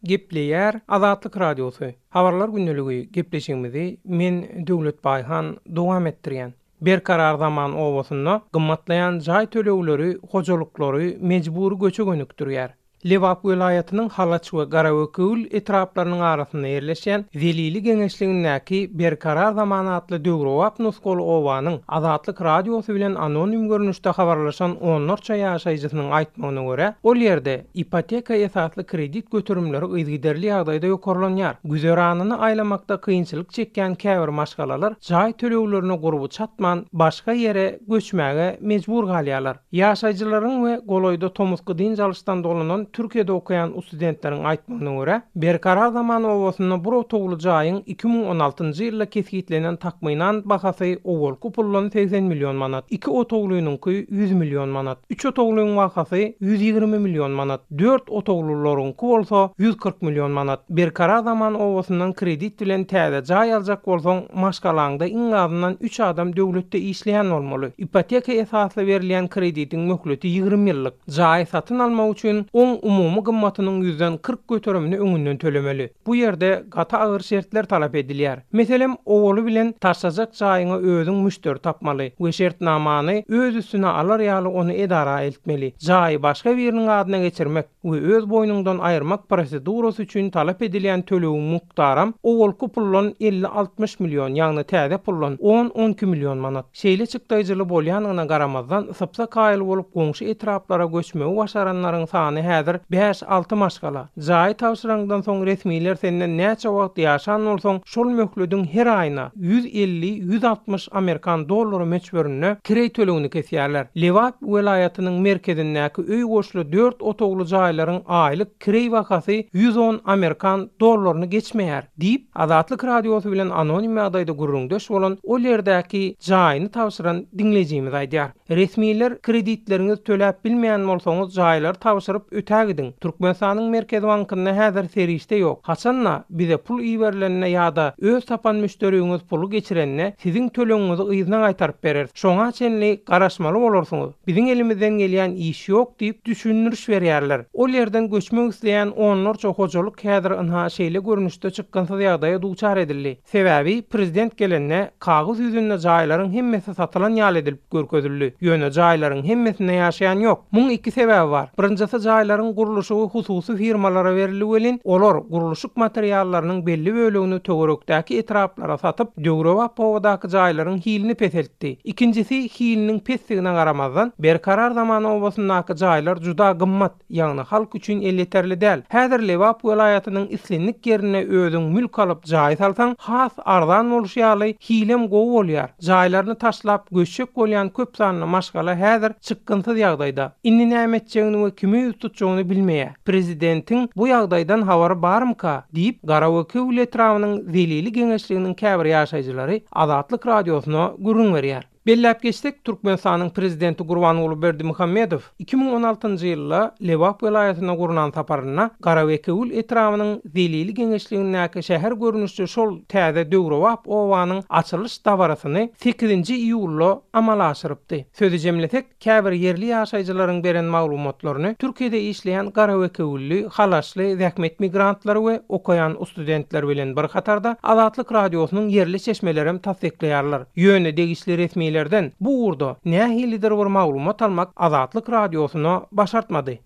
Gepleýär Azatlyk Radiosy, Habarlar gündeligi gepleşigimizi men Döwlet Baýhan dowam etdirýän. Berkarar zaman obasynda gymmatlaýan jaý tölegleri hojalyklary mejbury göçe gönükdirýär. Lebap welaýatynyň Halaç we Garabekewül etraplarynyň arasynda ýerleşýän Zelili geňeşligindäki Berkarar zaman atly döwrebap nusgaly obanyň Azatlyk Radiosy bilen anonim görnüşde habarlaşan onlarça ýaşaýjysynyň aýtmagyna görä, ol ýerde ipoteka esasly kredit göterimleri yzygiderli ýagdaýda ýokarlanýar. Güzeranyny aýlamakda kynçylyk çekýän käbir maşgalalar jaý töleglerine gurby çatman, başga ýere göçmäge mejbur galýarlar. Ýaşaýjylaryň we golaýda tomusky dynç alyşdan dolanan Türkiýede okaýan ustudentleriň aýtmagyna görä, Berkarar zaman obasynda bir otagly jaýyň 2016-njy ýylda kesgitlenen takmynan bahasy owalky puldan 80 million manat, iki otaglynyňky 100 million manat, üç otaglyň bahasy 120 million manat, dört otaglylaryňky bolsa 140 million manat. Berkarar zaman obasyndan kredit bilen täze jaý aljak bolsaň, maşgalaňda iň azyndan üç adam döwletde işleýän bolmaly. Ipoteka esasly berilýän kreditiň möhleti 20 ýyllyk. Jaýy satyn almak üçin oň umumy gymmatynyň ýüzden 40 göterimini öňünden tölemeli. Bu ýerde gaty agyr şertler talap edilýär. Meselem, owaly bilen taşlajak jaýyňa özüň müşderi tapmaly we şertnamany öz üstüne alar ýaly ony edara eltmeli. Jaýy başga biriniň adyna geçirmek we öz boýnuňdan aýyrmak prosedurasy üçin talap edilýän tölegiň mukdaram owalky puldan elli-altmyş million, ýagny täze puldan on-on iki million manat. Şeýle çykdaýjyly bolýanyna garamazdan, sypsa kaýyl bolup goňşy etraplara göçmegi başaranlaryň sany häzir bäş-alty maşgala. Jaýy tabşyraňdan soň resmiler senden näçe wagt ýaşan bolsaň, şol möhlediň her aýyna 150-160 amerikan dollary möçberinde kireý tölegini kesýärler. Lebap welaýatynyň merkezindäki öý goşly dört otagly jaýlaryň aýlyk kireý bahasy 110 amerikan dollaryny geçmeýär. Diýip, Azatlyk Radiosy bilen anonim ýagdaýda gürrüňdeş bolan ol ýerdäki jaýyny tabşyran diňleýjimiz aýdýar. Resmiler kreditleriňizi töläp bilmeýän bolsaňyz jaýlary tabşyryp ötägidiň. Türkmenistanyň Merkezi bankynda häzir serişde ýok. Haçan-da bize pul iberilende ýa-da öz tapan müşderiňiz puly geçirende siziň tölegiňizi yzyna gaýtaryp bereris. Şoňa çenli garaşmaly bolarsyňyz. Biziň elimizden gelýän iş ýok diýip düşündiriş berýärler. Ol ýerden göçmek isleýän onlarça hojalyk häzir ynha şeýle görnüşde çykgynsyz ýagdaýa duçar edildi. Sebäbi prezident gelende kagyz ýüzünde jaýlaryň hemmesi satylan ýaly edilip görkezildi. Ýöne jaýlaryň hemmesinde ýaşaýan ýok. Muň iki sebäbi bar. Birinjisi jaýlaryň gurluşygy hususy firmalara berildi welin, olar gurluşyk materiallarynyň belli bölegini töwerekdäki etraplara satyp, döwrebap obadaky jaýlaryň hilini peseltdi. Ikinjisi hiliniň pesdigine garamazdan, Berkarar zaman obasyndaky jaýlar juda gymmat, ýagny halk üçin elýeterli däl. Häzir Lebap welaýatynyň islendik ýerinde özüň mülk alyp jaý salsaň, has arzan bolşy ýaly, hilem gowy bolýar. Jaýlaryny taşlap göçjek bolýan köp sanly maşgala häzir çykgynsyz ýagdaýda. Indi näme etjegini we kime ýüz tutjagyny bilmeýär. Prezidentiň bu ýagdaýdan habary barmyka? diýip, Garabekewül etrabynyň Zelili geňeşliginiň käbir ýaşaýjylary Azatlyk Radiosyna gürrüň berýär. Belläp geçsek, Türkmenistanyň Prezidenti Gurbanguly Berdimuhamedow 2016-njy ýylda Lebap welaýatyna gurnan saparynda Garabekewül etrabynyň Zelili geňeşligindäki şäher görnüşli şol täze döwrebap obanyň açylyş dabarasyny sekizinji iýulda amala aşyrypdy. Sözi jemlesek, Käbir ýerli ýaşaýjylaryň beren maglumatlaryny Türkiýede işleýän garawekewülli, halaşly zähmet migrantlary we okaýan ustudentler bilen bir hatarda Azatlyk Radiosynyň ýerli çeşmelerem tassyklaýarlar. Ýöne degişli resmilerden bu ugurda nähilidir bir maglumat almak Azatlyk Radiosyna başartmady.